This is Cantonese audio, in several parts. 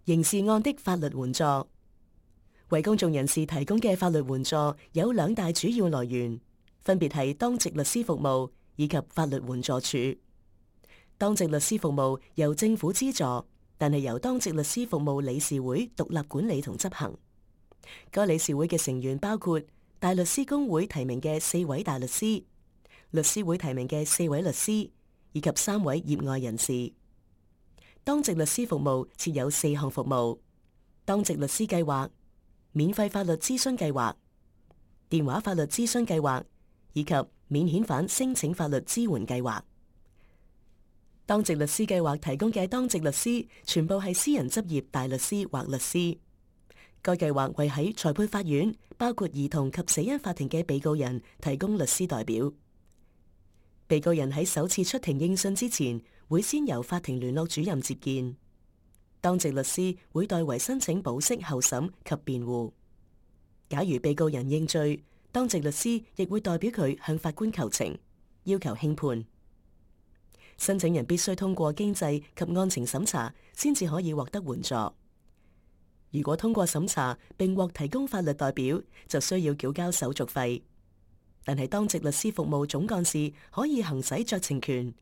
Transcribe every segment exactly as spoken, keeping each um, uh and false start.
刑事案的法律援助。為公眾人士提供嘅法律援助有兩大主要來源，分別係當值律師服務以及法律援助署。當值律師服務由政府資助，但係由當值律師服務理事會獨立管理同執行。該理事會嘅成員包括大律師公會提名嘅四位大律師、律師會提名嘅四位律師以及三位業外人士。當值律師服務設有四項服務：當值律師計劃、免費法律諮詢計劃、電話法律諮詢計劃以及免遣返申請法律支援計劃。當值律師計劃提供嘅當值律師全部係私人執業大律師或律師。該計劃為喺裁判法院，包括兒童及死因法庭嘅被告人提供律師代表。被告人喺首次出庭應訊之前，會先由法庭聯絡主任接見。當值律師會代為申請保釋候審及辯護。假如被告人認罪，當值律師亦會代表佢向法官求情，要求輕判。申請人必須通過經濟及案情審查，先至可以獲得援助。如果通過審查並獲提供法律代表，就需要繳交手續費。但係當值律師服務總幹事可以行使酌情權，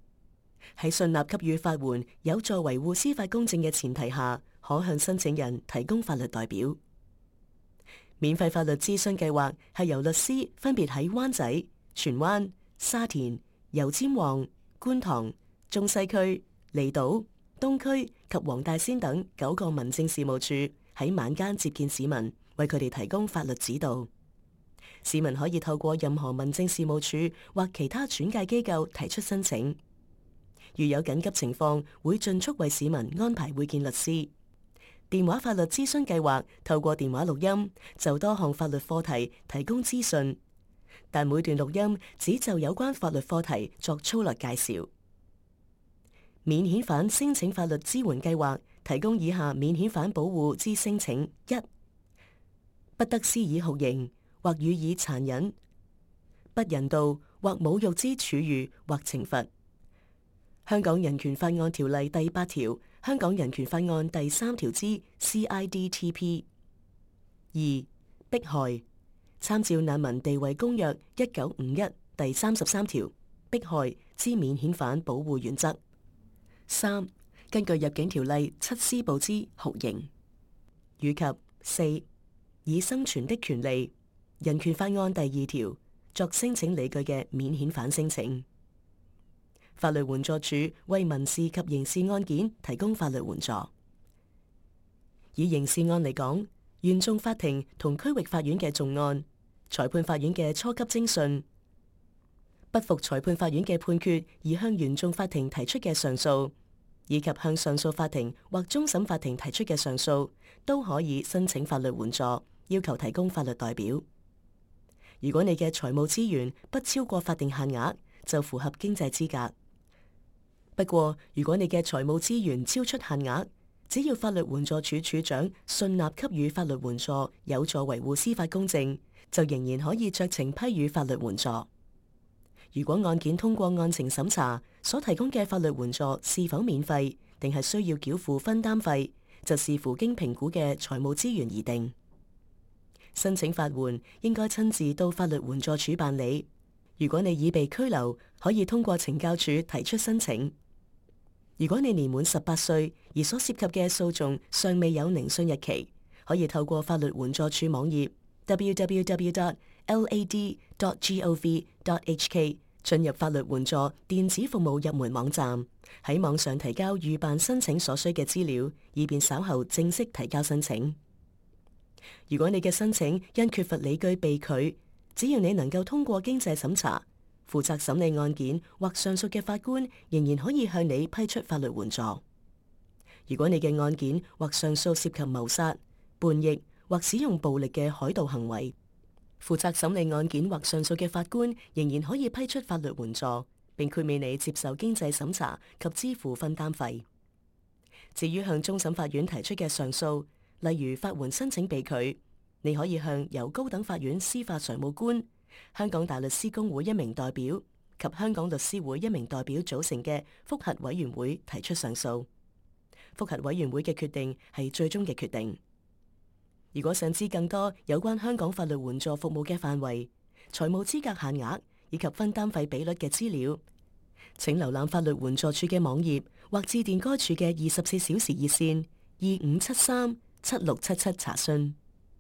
喺信納給予法援有助維護司法公正嘅前提下，可向申請人提供法律代表。免費法律諮詢計劃係由律師分別喺灣仔、荃灣、沙田、油尖旺、觀塘、中西區、離島、東區及黃大仙等九個民政事務處喺晚間接見市民，為佢哋提供法律指導。市民可以透過任何民政事務處或其他轉介機構提出申請。如有緊急情況，會盡速為市民安排會見律師。電話法律諮詢計劃透過電話錄音，就多項法律課題提供資訊，但每段錄音只就有關法律課題作粗略介紹。免遣返申請法律支援計劃提供以下免遣返保護之申請：一、不得施以酷刑或予以殘忍、不人道或侮辱之處遇或懲罰。香港人權法案條例第八條、香港人權法案第三條之 C I D T P。二、迫害，參照難民地位公約一九五一第三十三條，迫害之免遣返保護原則。三、根據入境條例七施部之酷刑，以及四、以生存的權利人權法案第二條作申請理據嘅免遣返申請。法律援助署為民事及刑事案件提供法律援助。以刑事案嚟講，原訟法庭同區域法院嘅重案、裁判法院嘅初級偵訊、不服裁判法院嘅判決而向原訟法庭提出嘅上訴，以及向上訴法庭或終審法庭提出嘅上訴，都可以申請法律援助，要求提供法律代表。如果你嘅財務資源不超過法定限額，就符合經濟資格。不過，如果你嘅財務資源超出限額，只要法律援助署署長信納給予法律援助，有助維護司法公正，就仍然可以酌情批予法律援助。如果案件通過案情審查，所提供嘅法律援助是否免費，定係需要繳付分擔費，就視乎經評估嘅財務資源而定。申請法援應該親自到法律援助署辦理。如果你已被拘留，可以通過懲教署提出申請。如果你年滿十八歲而所涉及嘅訴訟尚未有聆訊日期，可以透過法律援助署網頁 w w w dot l a d dot gov dot h k 進入法律援助電子服務入門網站，喺網上提交預辦申請所需嘅資料，以便稍後正式提交申請。如果你嘅申請因缺乏理據被拒，只要你能夠通過經濟審查，負責審理案件或上訴嘅法官仍然可以向你批出法律援助。如果你嘅案件或上訴涉及謀殺、叛逆或使用暴力嘅海盜行為，負責審理案件或上訴嘅法官仍然可以批出法律援助，並豁免你接受經濟審查及支付分擔費。至於向終審法院提出嘅上訴，例如法援申請被拒，你可以向由高等法院司法常務官、香港大律師公會一名代表及香港律師會一名代表組成嘅覆核委員會提出上訴。覆核委員會嘅決定係最終嘅決定。如果想知更多有關香港法律援助服務嘅範圍、財務資格限額以及分擔費比率嘅資料，請瀏覽法律援助處嘅網頁或致電該處嘅二十四小時熱線二五七三七六七七查詢。